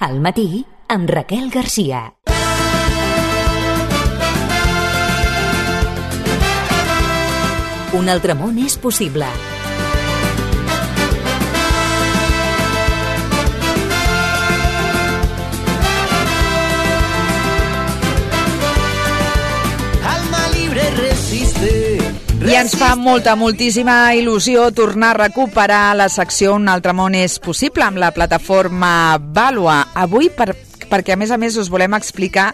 Al matí, amb Raquel Garcia. Un altre món és possible. I ens fa moltíssima il·lusió tornar a recuperar la secció Un altre món és possible amb la plataforma Vàlua. Avui perquè a més us volem explicar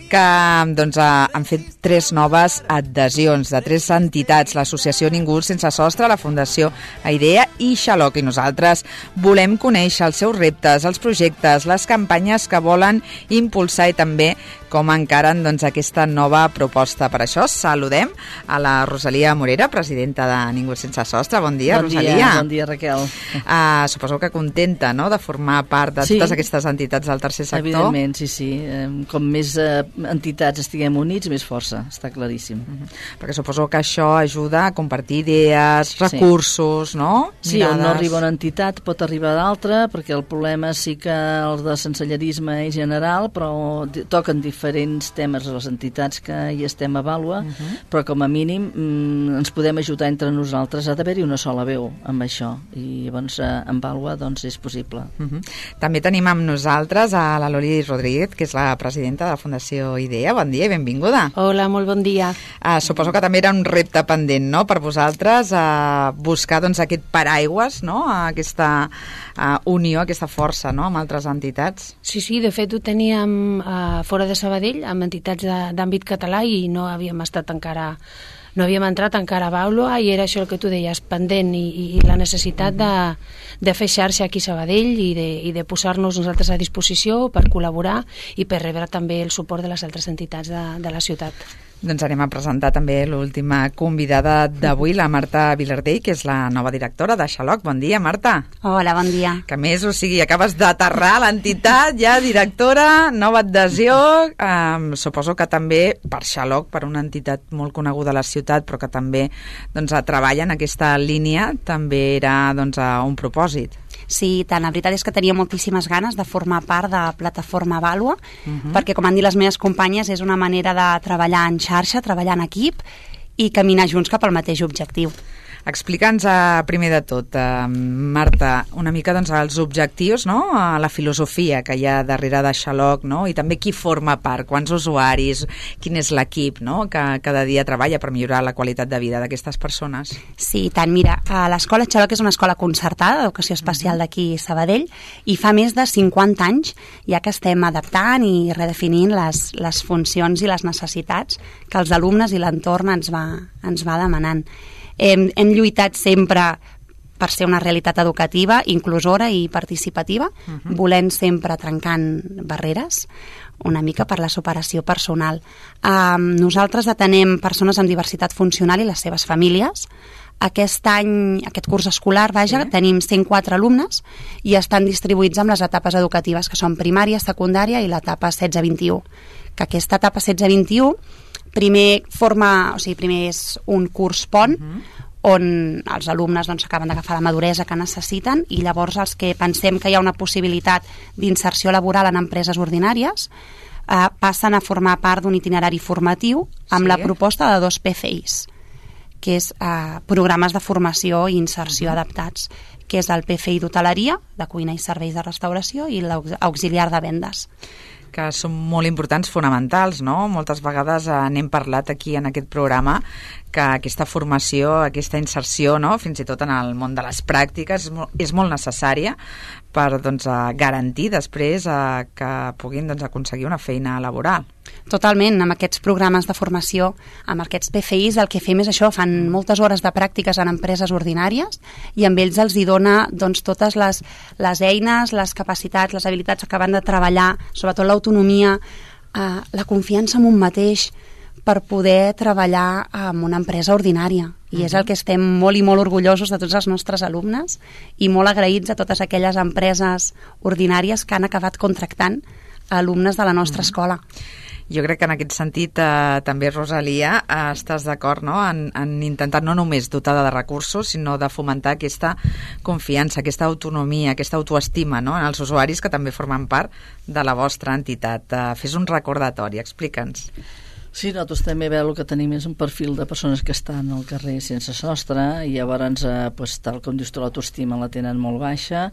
que han fet 3 noves adhesions de 3 entitats, l'Associació Ningú Sense Sostre, la Fundació Aidea i Xaloc, i nosaltres volem conèixer els seus reptes, els projectes, les campanyes que volen impulsar i també com encaren aquesta nova proposta. Per això saludem a la Rosalia Morera, presidenta de Ningú Sense Sostre. Bon dia, Rosalia. Bon dia, Raquel. Suposo que contenta, no?, de formar part de totes aquestes entitats del tercer sector. Evidentment, sí. Com més entitats estiguem units, més força, està claríssim. Perquè suposo que això ajuda a compartir idees, recursos, no? Sí, on no arriba una entitat pot arribar d'altra, perquè el problema sí que el de sensellarisme és general, però toquen diferents temes a les entitats que hi estem a Vàlua, però com a mínim ens podem ajudar entre nosaltres. Ha d'haver-hi una sola veu amb això, i llavors en Vàlua és possible. També tenim amb nosaltres a la Loli Rodríguez, que és la presidenta de la Fundació Idea. Bon dia i benvinguda. Hola, molt bon dia. Suposo que també era un repte pendent, no?, per vosaltres, buscar aquest paraigües, no?, aquesta unió, aquesta força, no?, amb altres entitats. Sí, de fet ho teníem fora de Sabadell, amb entitats d'àmbit català, i no havíem entrat encara a Vàlua, i era això el que tu deies, pendent, i la necessitat de fer xarxa aquí a Sabadell i de posar-nos nosaltres a disposició per col·laborar i per rebre també el suport de les altres entitats de la ciutat. Doncs anem a presentar també l'última convidada d'avui, la Marta Vilardell, que és la nova directora de Xaloc. Bon dia, Marta. Hola, bon dia. Que més, acabes d'aterrar a l'entitat, ja directora, nova adhesió, suposo que també per Xaloc, per una entitat molt coneguda a la ciutat, però que també treballa en aquesta línia, també era un propòsit. Sí, tant. La veritat és que tenia moltíssimes ganes de formar part de Plataforma Vàlua, perquè, com han dit les meves companyes, és una manera de treballar en xarxa, treballar en equip i caminar junts cap al mateix objectiu. Explica'ns primer de tot, Marta, una mica els objectius, no?, la filosofia que hi ha darrere de Xaloc, no?, i també qui forma part, quants usuaris, quin és l'equip, no?, que cada dia treballa per millorar la qualitat de vida d'aquestes persones. Sí, tant. Mira, l'escola Xaloc és una escola concertada d'educació especial d'aquí a Sabadell, i fa més de 50 anys ja que estem adaptant i redefinint les funcions i les necessitats que els alumnes i l'entorn ens va demanant. Hem lluitat sempre per ser una realitat educativa, inclusora i participativa, volent sempre trencant barreres, una mica per la superació personal. Nosaltres atenem persones amb diversitat funcional i les seves famílies. Aquest curs escolar, tenim 104 alumnes i estan distribuïts amb les etapes educatives, que són primària, secundària i l'etapa 16-21. Que aquesta etapa 16-21 primer és un curs pont, on els alumnes acaben d'agafar la maduresa que necessiten, i llavors els que pensem que hi ha una possibilitat d'inserció laboral en empreses ordinàries passen a formar part d'un itinerari formatiu amb la proposta de 2 PFIs, que és programes de formació i inserció adaptats, que és el PFI d'hoteleria, de cuina i serveis de restauració, i l'auxiliar de vendes, que són molt importants, fonamentals, no? Moltes vegades n'hem parlat aquí en aquest programa, que aquesta formació, aquesta inserció, no?, fins i tot en el món de les pràctiques, és molt necessària per garantir després que puguin aconseguir una feina laboral. Totalment. Amb aquests programes de formació, amb aquests PFIs, el que fem és això, fan moltes hores de pràctiques en empreses ordinàries, i amb ells els hi dona totes les eines, les capacitats, les habilitats que van de treballar, sobretot l'autonomia, la confiança en un mateix, per poder treballar en una empresa ordinària. I és el que estem molt i molt orgullosos de tots els nostres alumnes, i molt agraïts a totes aquelles empreses ordinàries que han acabat contractant alumnes de la nostra escola. Jo crec que en aquest sentit també, Rosalia, estàs d'acord, no?, en intentar no només dotar de recursos, sinó de fomentar aquesta confiança, aquesta autonomia, aquesta autoestima, no?, en els usuaris que també formen part de la vostra entitat. Fes un recordatori, explica'ns. Sí, nosaltres també el que tenim és un perfil de persones que estan al carrer sense sostre i llavors, tal com dius tu, l'autoestima la tenen molt baixa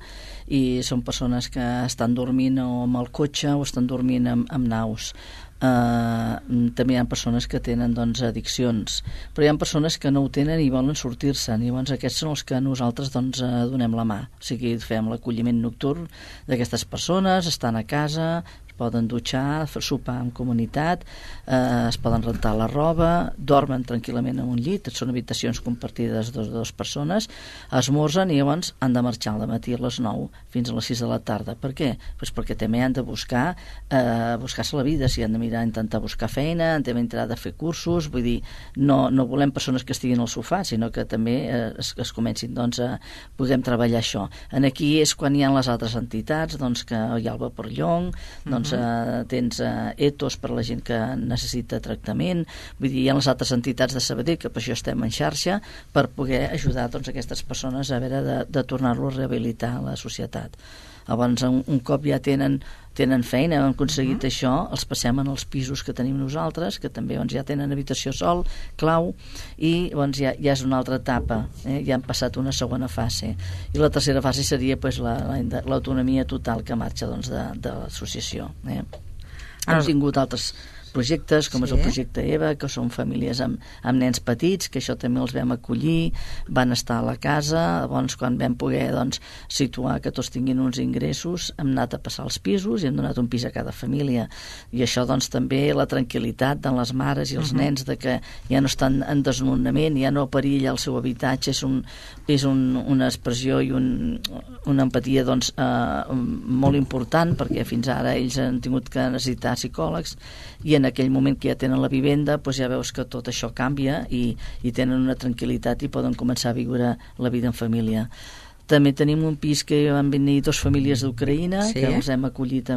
i són persones que estan dormint o amb el cotxe o estan dormint amb naus. També hi ha persones que tenen addiccions, però hi ha persones que no ho tenen i volen sortir-se'n, i llavors aquests són els que nosaltres donem la mà, o sigui, fem l'acolliment nocturn d'aquestes persones, estan a casa, poden dutxar, sopar en comunitat, es poden rentar la roba, dormen tranquil·lament en un llit, són habitacions compartides de dues persones, esmorzen i llavors han de marxar al matí a les 9 fins a les 6 de la tarda. Per què? Pues perquè també han de buscar-se la vida, si han de intentar buscar feina, han de fer cursos, vull dir, no volem persones que estiguin al sofà, sinó que també es comencin a puguem treballar això. Aquí és quan hi ha les altres entitats, que hi ha el Vaporllong, tens ETOs per a la gent que necessita tractament, vull dir, hi ha les altres entitats de Sabadell que per això estem en xarxa per poder ajudar aquestes persones a veure de tornar-lo a rehabilitar a la societat. Llavors, un cop ja tenen feina, han aconseguit això, els passem en els pisos que tenim nosaltres, que també ja tenen habitació sol, clau, i ja és una altra etapa, ja han passat una segona fase. I la tercera fase seria l'autonomia total que marxa de l'associació. Hem tingut altres projectes, com és el projecte EVA, que són famílies amb nens petits, que això també els vam acollir, van estar a la casa, llavors quan vam poder situar que tots tinguin uns ingressos, hem anat a passar els pisos i hem donat un pis a cada família. I això també la tranquil·litat de les mares i els nens de que ja no estan en desnonament, ja no perilla el seu habitatge, és una expressió i una empatia molt important, perquè fins ara ells han tingut que necessitar psicòlegs, i en aquell moment que ja tenen la vivenda ja veus que tot això canvia i tenen una tranquil·litat i poden començar a viure la vida en família. També tenim un pis que van venir 2 famílies d'Ucraïna, que els hem acollit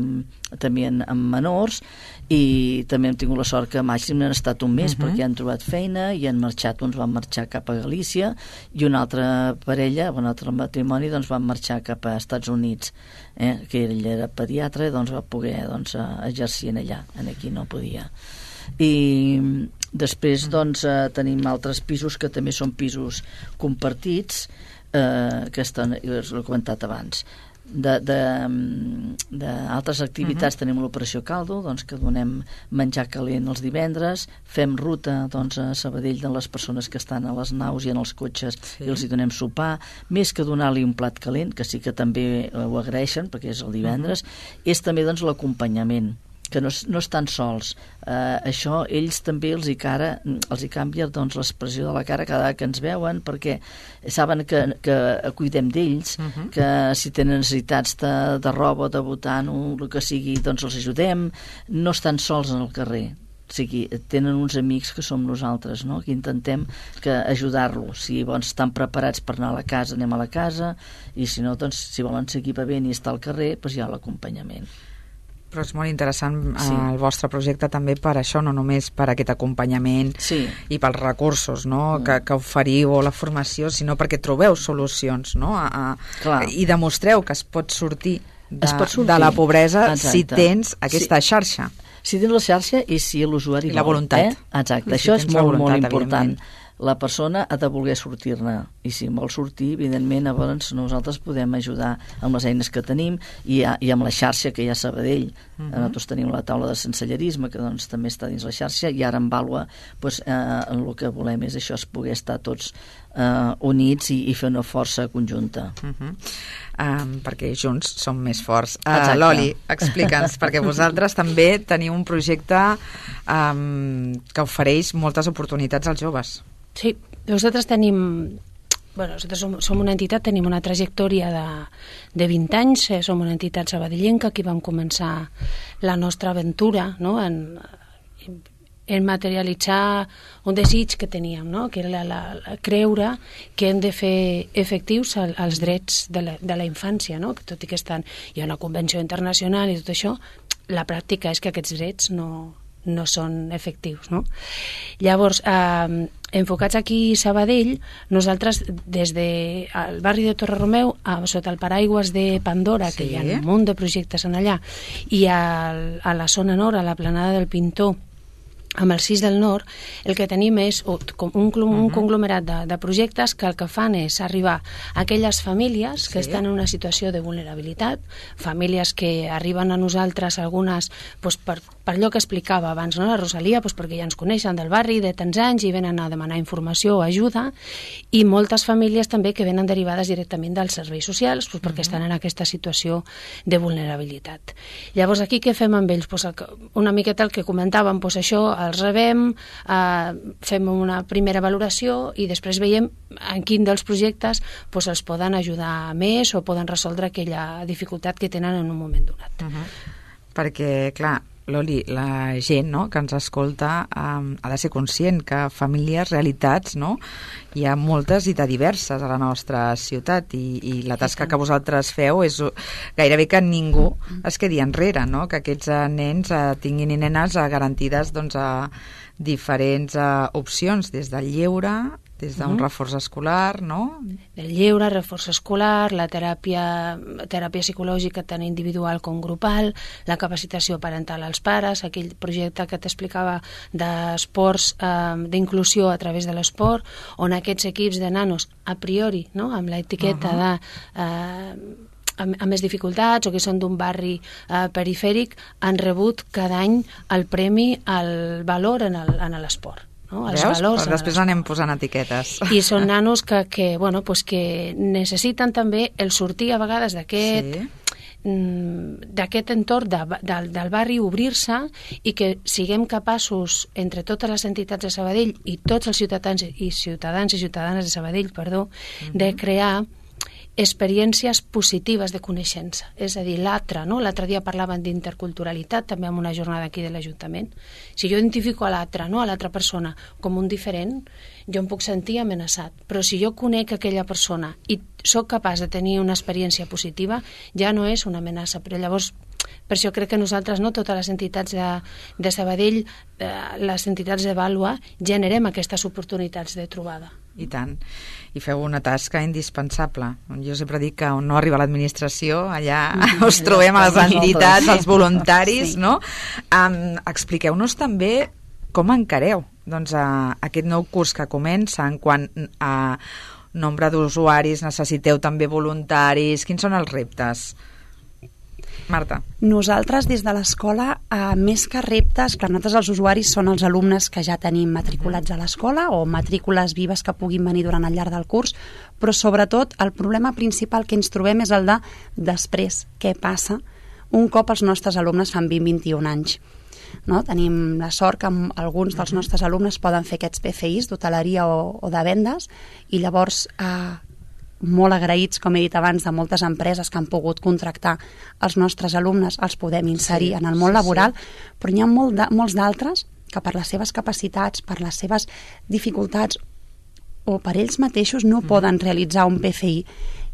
també amb menors, i també hem tingut la sort que màxim han estat un mes perquè han trobat feina i han marxat, uns van marxar cap a Galícia i una altra parella, un altre matrimoni, van marxar cap a Estats Units, que ell era pediatre, va poder exercir allà, aquí no podia. I després tenim altres pisos que també són pisos compartits, que l'he comentat abans. D'altres activitats tenim l'operació Caldo, que donem menjar calent els divendres, fem ruta a Sabadell de les persones que estan a les naus i en els cotxes i els hi donem sopar, més que donar-li un plat calent, que sí que també ho agraeixen perquè és el divendres, és també l'acompanyament, que no estan sols. Això ells també els hi canvia l'expressió de la cara cada vegada que ens veuen, perquè saben que cuidem d'ells, que si tenen necessitats de roba, de botant o el que sigui, els ajudem, no estan sols en el carrer. O sigui, tenen uns amics que som nosaltres, no?, que intentem ajudar-los. Si estan preparats per anar a la casa, anem a la casa, i si no, si volen seguir bevent i estar al carrer, hi ha l'acompanyament. Però és molt interessant el vostre projecte també per això, no només per aquest acompanyament i pels recursos que oferiu o la formació, sinó perquè trobeu solucions, no? I demostreu que es pot sortir de la pobresa si tens aquesta xarxa. Si tens la xarxa i si l'usuari vol. I la voluntat. Exacte, això és molt, molt important. La persona ha de voler sortir-ne, i si vol sortir, evidentment, llavors nosaltres podem ajudar amb les eines que tenim i amb la xarxa que hi ha a Sabadell. Nosaltres tenim la taula de sensellerisme, que també està dins la xarxa, i ara en Vàlua el que volem és això, és poder estar tots units i fer una força conjunta. Perquè junts som més forts. Loli, explica'ns, perquè vosaltres també teniu un projecte que ofereix moltes oportunitats als joves. Sí, nosaltres som una entitat, tenim una trajectòria de 20 anys, som una entitat sabadellenca, que vam començar la nostra aventura, no?, en materialitzar un desig que teníem, no?, que era creure que hem de fer efectius els drets de la infància, no?, que tot i que hi ha una convenció internacional i tot això, la pràctica és que aquests drets no no són efectius, no? Llavors, enfocats aquí a Sabadell, nosaltres des del barri de Torre Romeu, sota el paraigües de Pandora, que hi ha un munt de projectes en allà, i a la zona nord, a la planada del Pintor, amb el CIS del Nord, el que tenim és un conglomerat de projectes que el que fan és arribar a aquelles famílies que estan en una situació de vulnerabilitat, famílies que arriben a nosaltres, algunes doncs, per allò que explicava abans, no? La Rosalia, doncs, perquè ja ens coneixen del barri de tants anys i venen a demanar informació o ajuda, i moltes famílies també que venen derivades directament dels serveis socials, doncs, perquè estan en aquesta situació de vulnerabilitat. Llavors, aquí què fem amb ells? Doncs una miqueta el que comentàvem, doncs això, els rebem, fem una primera valoració i després veiem en quin dels projectes doncs, els poden ajudar més o poden resoldre aquella dificultat que tenen en un moment donat. Perquè, clar, Loli, la gent, no?, que ens escolta ha de ser conscient que famílies, realitats, no?, hi ha moltes i de diverses a la nostra ciutat i la tasca que vosaltres feu és gairebé que ningú es quedi enrere, no?, que aquests nens tinguin i nenes garantides doncs, a diferents opcions, des del lleure, des d'un reforç escolar, no? El lleure, reforç escolar, la teràpia psicològica tant individual com grupal, la capacitació parental als pares, aquell projecte que t'explicava d'esports, d'inclusió a través de l'esport, on aquests equips de nanos, a priori, no?, amb l'etiqueta de amb més dificultats o que són d'un barri perifèric, han rebut cada any el premi al valor en l'esport. No? Els veus? valors, però després anem posant etiquetes. I són nanos que necessiten també el sortir a vegades d'aquest entorn del barri, obrir-se, i que siguem capaços, entre totes les entitats de Sabadell i tots els ciutadans i ciutadanes de Sabadell, de crear experiències positives de coneixença. És a dir, l'altre, no? L'altre dia parlaven d'interculturalitat, també en una jornada aquí de l'Ajuntament. Si jo identifico a l'altre, no?, a l'altra persona, com un diferent, jo em puc sentir amenaçat. Però si jo conec aquella persona i sóc capaç de tenir una experiència positiva, ja no és una amenaça. Però llavors, per això crec que nosaltres, no, totes les entitats de Sabadell, les entitats de Vàlua, generem aquestes oportunitats de trobada. I tant. I feu una tasca indispensable. Jo sempre dic que on no arriba l'administració, allà us trobem a les entitats, als voluntaris, no? Expliqueu-nos també com encareu aquest nou curs que comença, en quant a nombre d'usuaris, necessiteu també voluntaris, quins són els reptes? Marta. Nosaltres des de l'escola, més que reptes, clar, nosaltres els usuaris són els alumnes que ja tenim matriculats a l'escola o matrícules vives que puguin venir durant el llarg del curs, però sobretot el problema principal que ens trobem és el de després, què passa un cop els nostres alumnes fan 20-21 anys. No? Tenim la sort que alguns dels nostres alumnes poden fer aquests PFIs d'hoteleria o de vendes, i llavors molt agraïts, com he dit abans, de moltes empreses que han pogut contractar els nostres alumnes, els podem inserir en el món laboral, però hi ha molts d'altres que per les seves capacitats, per les seves dificultats o per ells mateixos no poden realitzar un PFI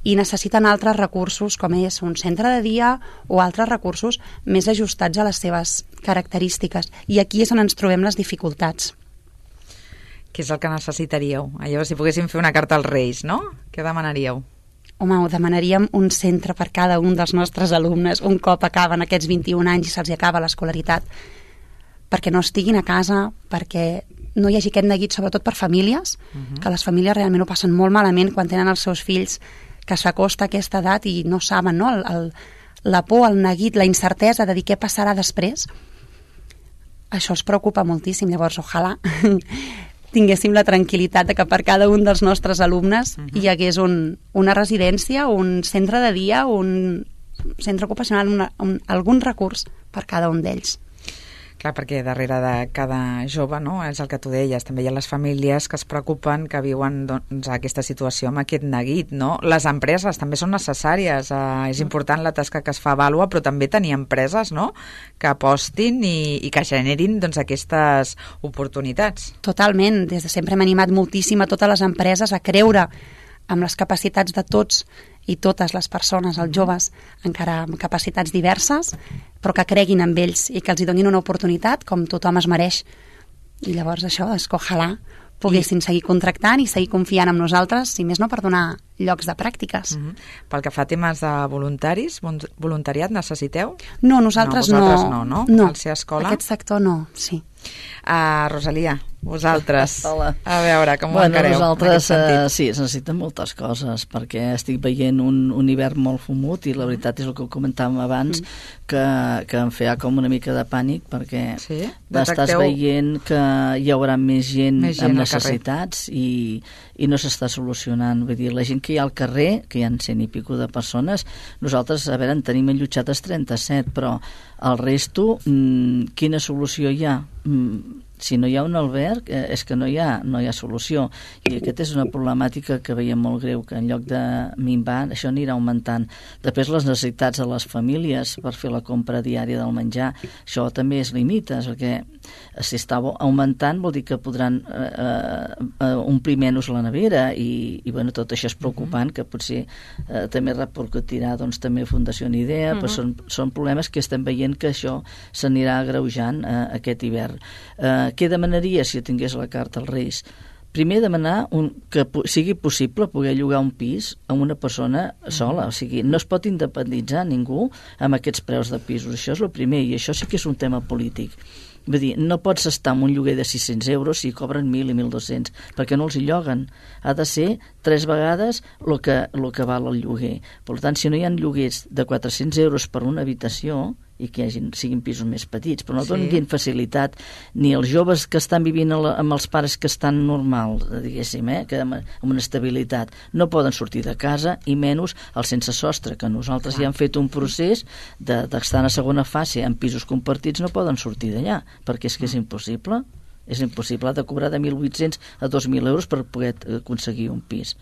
i necessiten altres recursos, com és un centre de dia o altres recursos més ajustats a les seves característiques. I aquí és on ens trobem les dificultats. Què és el que necessitaríeu? Allò, si poguéssim fer una carta als Reis, no? Què demanaríeu? Home, demanaríem un centre per cada un dels nostres alumnes un cop acaben aquests 21 anys i se'ls acaba l'escolaritat, perquè no estiguin a casa, perquè no hi hagi aquest neguit, sobretot per famílies, que les famílies realment ho passen molt malament quan tenen els seus fills que s'acosta a aquesta edat i no saben, no? La por, el neguit, la incertesa de dir què passarà després, això els preocupa moltíssim. Llavors, ojalà tinguéssim la tranquil·litat de que per cada un dels nostres alumnes hi hagués una residència, un centre de dia, un centre ocupacional, algun recurs per cada un d'ells. Clar, perquè darrere de cada jove, no?, és el que tu deies, també hi ha les famílies que es preocupen, que viuen aquesta situació amb aquest neguit, no? Les empreses també són necessàries, és important la tasca que es fa a Vàlua, però també tenir empreses, no?, que apostin i que generin aquestes oportunitats. Totalment, des de sempre hem animat moltíssim a totes les empreses a creure amb les capacitats de tots i totes les persones, els joves, encara amb capacitats diverses, però que creguin en ells i que els hi donin una oportunitat com tothom es mereix. I llavors això, és que ojalà poguessin seguir contractant i seguir confiant en nosaltres, si més no per donar llocs de pràctiques. Pel que fa a temes de voluntaris, voluntariat necessiteu? No, nosaltres no. Vosaltres no? No, al ser escola? Aquest sector no, sí. Rosalia, vosaltres, Hola. a veure, com ho Bueno, encareu? nosaltres sí, es necessiten moltes coses, perquè estic veient un hivern molt fumut i la veritat és el que comentàvem abans, que em feia com una mica de pànic, perquè estàs veient que hi haurà més gent amb necessitats i no s'està solucionant. Vull dir, la gent que hi ha al carrer, que hi ha 100 i pico de persones, nosaltres, a veure, en tenim enllotjades 37, però el resto, quina solució hi ha? Si no hi ha un alberg, és que no hi ha solució. I aquesta és una problemàtica que veiem molt greu, que en lloc de minvar, això anirà augmentant. Després, les necessitats de les famílies per fer la compra diària del menjar, això també es limita, perquè si està augmentant vol dir que podran omplir menys la nevera i bueno, tot això és preocupant, que potser també repercutirà doncs, també a Fundació Idea, però són problemes que estem veient que això s'anirà agreujant aquest hivern. Què demanaria si tingués la carta als Reis? Primer demanar que sigui possible poder llogar un pis a una persona sola, o sigui, no es pot independitzar ningú amb aquests preus de pisos, això és el primer, i això sí que és un tema polític. Vull dir, no pots estar en un lloguer de 600 euros si cobren 1.000 i 1.200, perquè no els hi lloguen. Ha de ser 3 vegades el que val el lloguer. Per tant, si no hi ha lloguers de 400 euros per una habitació, i que siguin pisos més petits, però no donin facilitat ni als joves que estan vivint amb els pares que estan normals, diguéssim, que amb una estabilitat. No poden sortir de casa, i menys els sense sostre, que nosaltres ja hem fet un procés d'estar en la segona fase en pisos compartits, no poden sortir d'allà, perquè és que és impossible. És impossible, ha de cobrar de 1.800 a 2.000 euros per poder aconseguir un pis.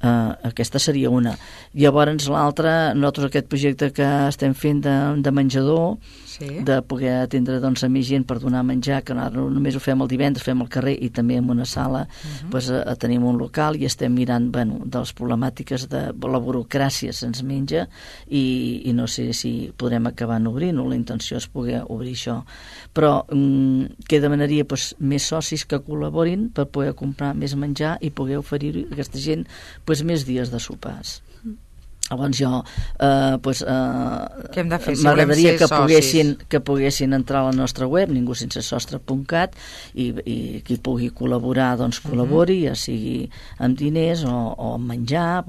Aquesta seria una. Llavors l'altra, nosaltres aquest projecte que estem fent de menjador, de poder atendre doncs, a més gent per donar menjar, que no només ho fem el divendres, fem al carrer i també en una sala, doncs, tenim un local i estem mirant de les problemàtiques de la burocràcia se'ns menja i no sé si podrem acabar obrint, o la intenció és poder obrir això. Però què demanaria? Doncs més socis que col·laborin per poder comprar més menjar i poder oferir a aquesta gent més dies de sopars. Llavors jo m'agradaria que poguessin entrar a la nostra web ningusinsesostre.cat i qui pugui col·laborar doncs col·labori, ja sigui amb diners o amb menjar,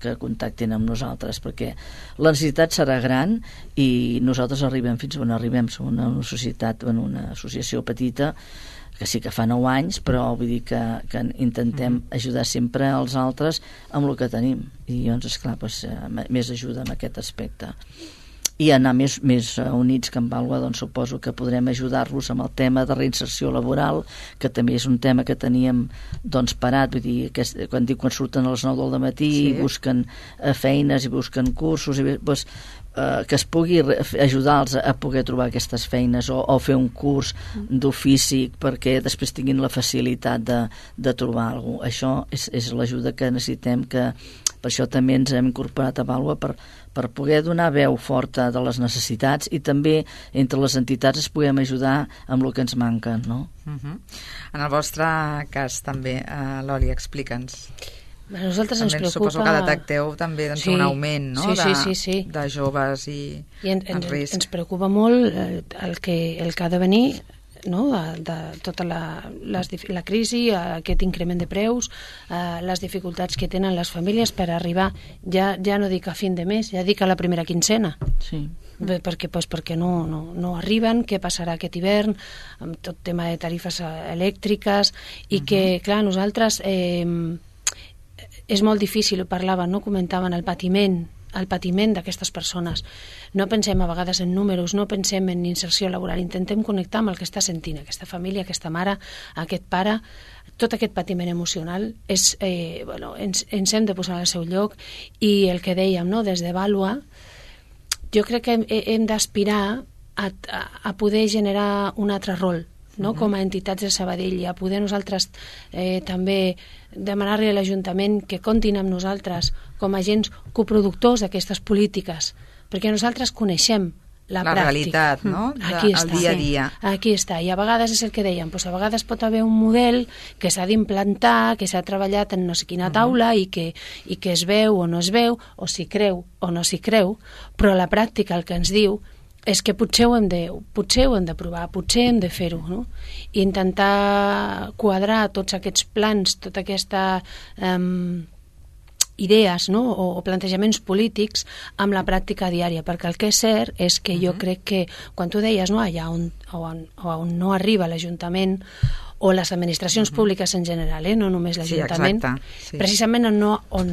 que contactin amb nosaltres, perquè la necessitat serà gran i nosaltres arribem fins on arribem. Som una societat, una associació petita que sí que fa 9 anys, però vull dir que intentem ajudar sempre als altres amb el que tenim, i llavors esclar, més ajuda en aquest aspecte i anar més units que en Vàlua, doncs suposo que podrem ajudar-los amb el tema de reinserció laboral, que també és un tema que teníem doncs parat, vull dir, quan surten a les 9 del matí i busquen feines i busquen cursos i que es pugui ajudar-los a poder trobar aquestes feines o fer un curs d'ofici perquè després tinguin la facilitat de trobar alguna cosa. Això és l'ajuda que necessitem, que per això també ens hem incorporat a Vàlua per poder donar veu forta de les necessitats i també entre les entitats es puguem ajudar amb el que ens manca, no? En el vostre cas també, Loli, explica'ns. A nosaltres ens preocupa... Suposo que detecteu també un augment, no? Sí. De joves i en risc. Ens preocupa molt el que ha de venir, no? de tota la crisi, aquest increment de preus, les dificultats que tenen les famílies per arribar, ja no dic a fin de mes, ja dic a la primera quincena. Sí. Perquè no arriben, què passarà aquest hivern amb tot tema de tarifes elèctriques i que, clar, nosaltres és molt difícil, ho parlaven, no? Comentaven el patiment d'aquestes persones. No pensem a vegades en números, no pensem en inserció laboral, intentem connectar amb el que està sentint aquesta família, aquesta mare, aquest pare. Tot aquest patiment emocional ens hem de posar al seu lloc, i el que dèiem, no? Des de Vàlua, jo crec que hem d'aspirar a poder generar un altre rol no? Com a entitats de Sabadell, i a poder nosaltres també demanar-li a l'Ajuntament que comptin amb nosaltres com a agents coproductors d'aquestes polítiques, perquè nosaltres coneixem la pràctica. Realitat, no? Aquí el dia a dia. Aquí està, i a vegades és el que dèiem, doncs a vegades pot haver un model que s'ha d'implantar, que s'ha treballat en no sé quina taula i que es veu o no es veu, o s'hi creu o no s'hi creu, però la pràctica el que ens diu és que potser ho hem de provar, potser hem de fer-ho, no? I intentar quadrar tots aquests plans, tota aquesta idees, no? o plantejaments polítics amb la pràctica diària, perquè el que és cert és que jo crec que, quan tu deies, no, allà on no arriba l'Ajuntament o les administracions públiques en general, no només l'Ajuntament, sí. Precisament on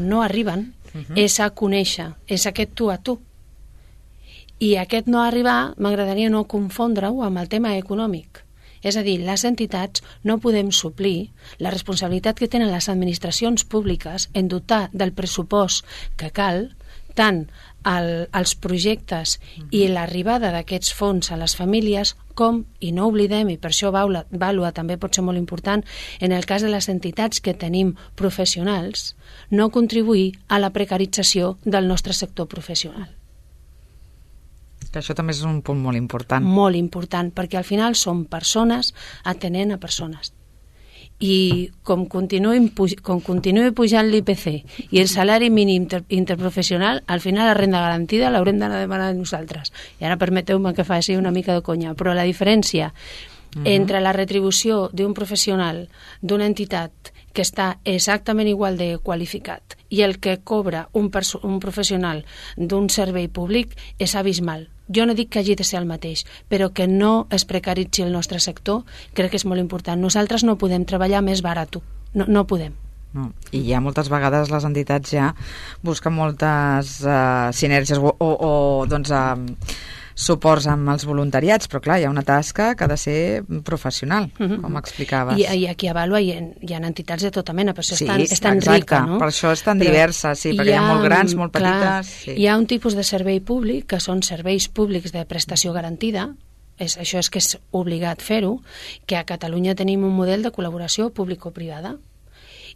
no arriben és a conèixer, és aquest tu a tu. I aquest no arribar m'agradaria no confondre-ho amb el tema econòmic. És a dir, les entitats no podem suplir la responsabilitat que tenen les administracions públiques en dotar del pressupost que cal, tant als projectes i l'arribada d'aquests fons a les famílies, com, i no oblidem, i per això Vàlua també pot ser molt important, en el cas de les entitats que tenim professionals, no contribuir a la precarització del nostre sector professional. Que això també és un punt molt important. Molt important, perquè al final són persones atenent a persones. I com continuï pujant l'IPC i el salari mínim interprofessional, al final la renda garantida l'haurem d'anar a demanar nosaltres. I ara permeteu-me que faci una mica de conya, però la diferència entre la retribució d'un professional d'una entitat que està exactament igual de qualificat i el que cobra un professional d'un servei públic és abismal. Jo no dic que hagi de ser el mateix, però que no es precaritzi el nostre sector crec que és molt important. Nosaltres no podem treballar més barat, no podem. No. I ja moltes vegades les entitats ja busquen moltes sinergies o doncs, suports amb els voluntariats, però clar, hi ha una tasca que ha de ser professional, com explicaves. I aquí a Vàlua hi ha entitats de tota mena, per això sí, és tan rica, no? Per això és tan diversa, sí, perquè hi ha molt grans, molt petites. Sí. Hi ha un tipus de servei públic que són serveis públics de prestació garantida, això és que és obligat fer-ho, que a Catalunya tenim un model de col·laboració público-privada.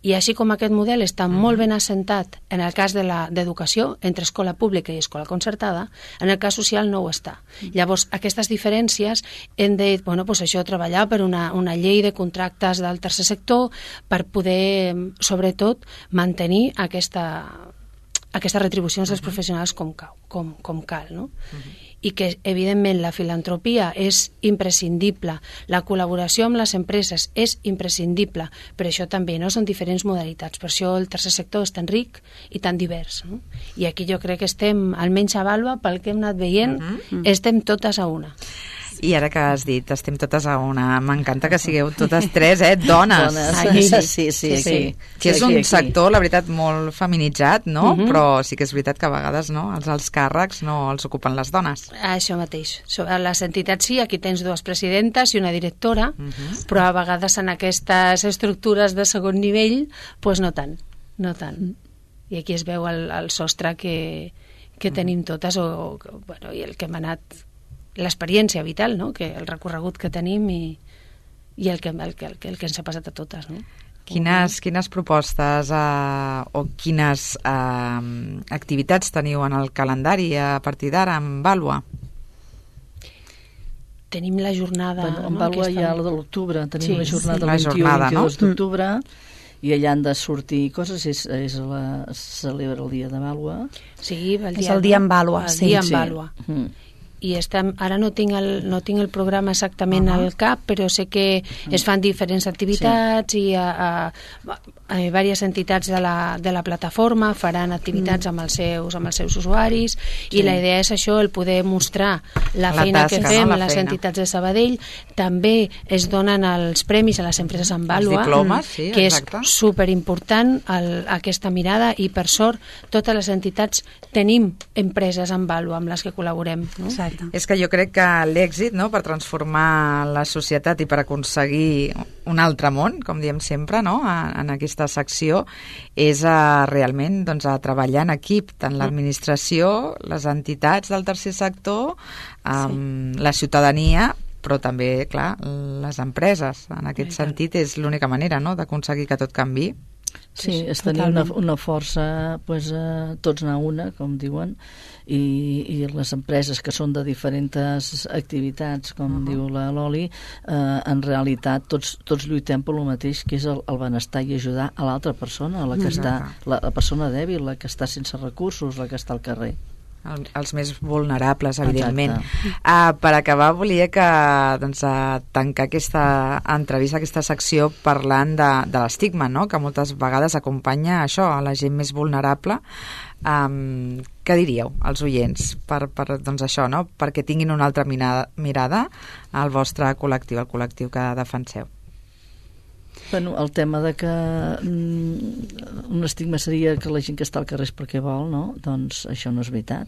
I així com aquest model està molt ben assentat en el cas d'educació, entre escola pública i escola concertada, en el cas social no ho està. Llavors, aquestes diferències hem de, això, treballar per una llei de contractes del tercer sector per poder, sobretot, mantenir aquestes retribucions dels professionals com cal, no? I que, evidentment, la filantropia és imprescindible, la col·laboració amb les empreses és imprescindible, però això també no són diferents modalitats, per això el tercer sector és tan ric i tan divers, no? I aquí jo crec que estem, almenys a Vàlua, pel que hem anat veient, estem totes a una. I ara que has dit, estem totes a una, m'encanta que sigueu totes tres, dones. Sí. Que és un sector, la veritat, molt feminitzat, no? Però sí que és veritat que a vegades els alts càrrecs no els ocupen les dones. Això mateix. A les entitats sí, aquí tens dues presidentes i una directora, però a vegades en aquestes estructures de segon nivell, doncs no tant. I aquí es veu el sostre que tenim totes, i el que hem anat... l'experiència vital, no? Que el recorregut que tenim i el que ens ha passat a totes, no? Quines propostes o quines activitats teniu en el calendari a partir d'ara amb Vàlua? Tenim la jornada... En Vàlua hi ha la de l'octubre, tenim la jornada del 21 i 22 d'octubre, i allà han de sortir coses, celebra el dia de Vàlua. Sí, és el dia en Vàlua. El dia en Vàlua. I ara no tinc el programa exactament al cap, però sé que es fan diferents activitats i diverses entitats de la plataforma faran activitats amb els seus usuaris i la idea és això, el poder mostrar la feina que fem a les entitats de Sabadell. També es donen els premis a les empreses en Vàlua, que és superimportant aquesta mirada, i per sort totes les entitats tenim empreses en Vàlua amb les que col·laborem, no? És que jo crec que l'èxit, no, per transformar la societat i per aconseguir un altre món, com diem sempre, no, en aquesta secció, és realment a treballar en equip, tant l'administració, les entitats del tercer sector, la ciutadania, però també, clar, les empreses. En aquest sentit és l'única manera, no?, d'aconseguir que tot canvi. Sí, és tenir una força, pues, tots anar una, com diuen, i les empreses que són de diferents activitats, com diu la Loli, en realitat tots lluitem per lo mateix, que és el benestar i ajudar a l'altra persona, la que està, la persona dèbil, la que està sense recursos, la que està al carrer. Els més vulnerables, evidentment. Per acabar, volia que tancar aquesta entrevista, aquesta secció, parlant de l'estigma, no?, que moltes vegades acompanya això, a la gent més vulnerable. Què diríeu als oients per això, no?, perquè tinguin una altra mirada al vostre col·lectiu, al col·lectiu que defenseu? Bueno, el tema de que un estigma seria que la gent que està al carrer és perquè vol, no? Doncs això no és veritat,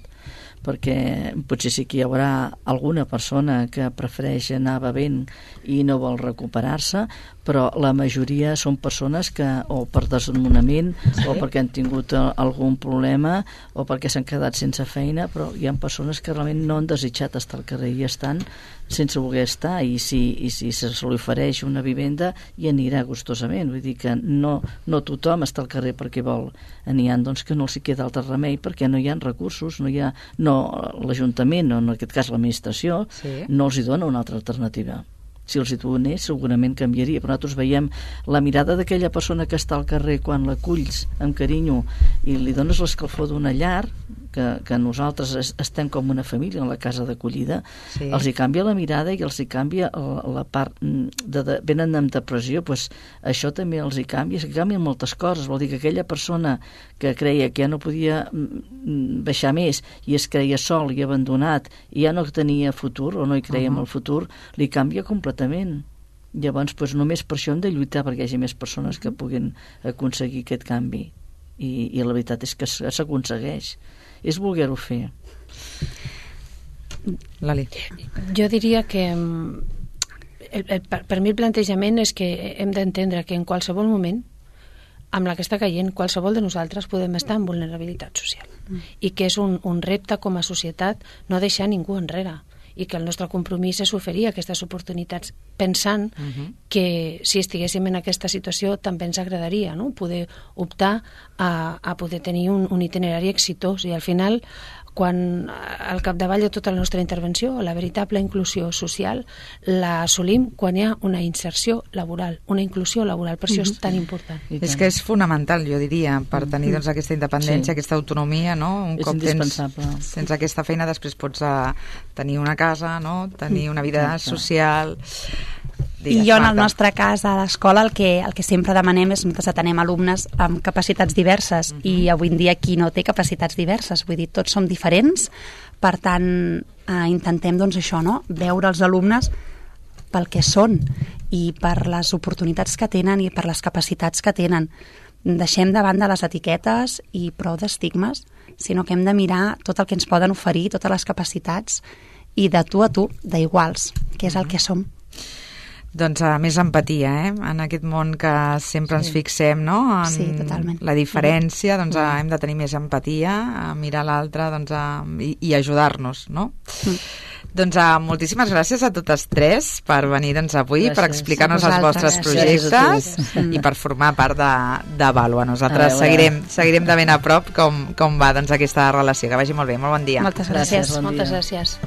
perquè potser sí que hi haurà alguna persona que prefereix anar bevent i no vol recuperar-se, però la majoria són persones que o per desnonament o perquè han tingut algun problema o perquè s'han quedat sense feina, però hi ha persones que realment no han desitjat estar al carrer i estan sense voler estar, i si se li ofereix una vivenda hi anirà gustosament. Vull dir que no tothom està al carrer perquè vol. N'hi ha doncs que no els hi queda altre remei perquè no hi ha recursos, l'Ajuntament, o en aquest cas l'administració, no els hi dona una altra alternativa. Si els hi donés, segurament canviaria, però nosaltres veiem la mirada d'aquella persona que està al carrer quan l'aculls amb carinyo i li dones l'escalfor d'una llar, que nosaltres estem com una família en la casa d'acollida, els hi canvia la mirada i els hi canvia la part venen amb depressió, doncs això també els hi canvia, es canvien moltes coses. Vol dir que aquella persona que creia que ja no podia baixar més i es creia sol i abandonat i ja no tenia futur o no hi creia en el futur, li canvia completament. Llavors, doncs, només per això hem de lluitar perquè hi hagi més persones que puguin aconseguir aquest canvi, i la veritat és que s'aconsegueix. És voler-ho fer. Lali. Jo diria que per mi el plantejament és que hem d'entendre que en qualsevol moment amb la que està caient, qualsevol de nosaltres podem estar en vulnerabilitat social i que és un repte com a societat no deixar ningú enrere, i que el nostre compromís és oferir aquestes oportunitats pensant que si estiguéssim en aquesta situació també ens agradaria, no?, poder optar a poder tenir un itinerari exitós, i al final quan al capdavall de tota la nostra intervenció la veritable inclusió social l'assolim quan hi ha una inserció laboral, una inclusió laboral, per això és tan important. És que és fonamental, jo diria, per tenir aquesta independència, aquesta autonomia, no? Un cop tens aquesta feina, després pots tenir una casa, no?, tenir una vida social. I jo, en el nostre cas, a l'escola, el que sempre demanem és que atenem alumnes amb capacitats diverses, i avui en dia qui no té capacitats diverses, vull dir, tots som diferents, per tant, intentem, doncs, això, no?, veure els alumnes pel que són i per les oportunitats que tenen i per les capacitats que tenen. Deixem de banda les etiquetes i prou d'estigmes, sinó que hem de mirar tot el que ens poden oferir, totes les capacitats, i de tu a tu, d'iguals, que és el que som. Doncs més empatia, en aquest món que sempre ens fixem, no?, en la diferència, doncs hem de tenir més empatia, a mirar l'altre, doncs, i ajudar-nos, no? Doncs moltíssimes gràcies a totes tres per venir avui, per explicar-nos els vostres projectes i per formar part de Vàlua. Nosaltres seguirem de ben a prop com va aquesta relació. Que vagi molt bé, molt bon dia. Moltes gràcies. Moltes gràcies.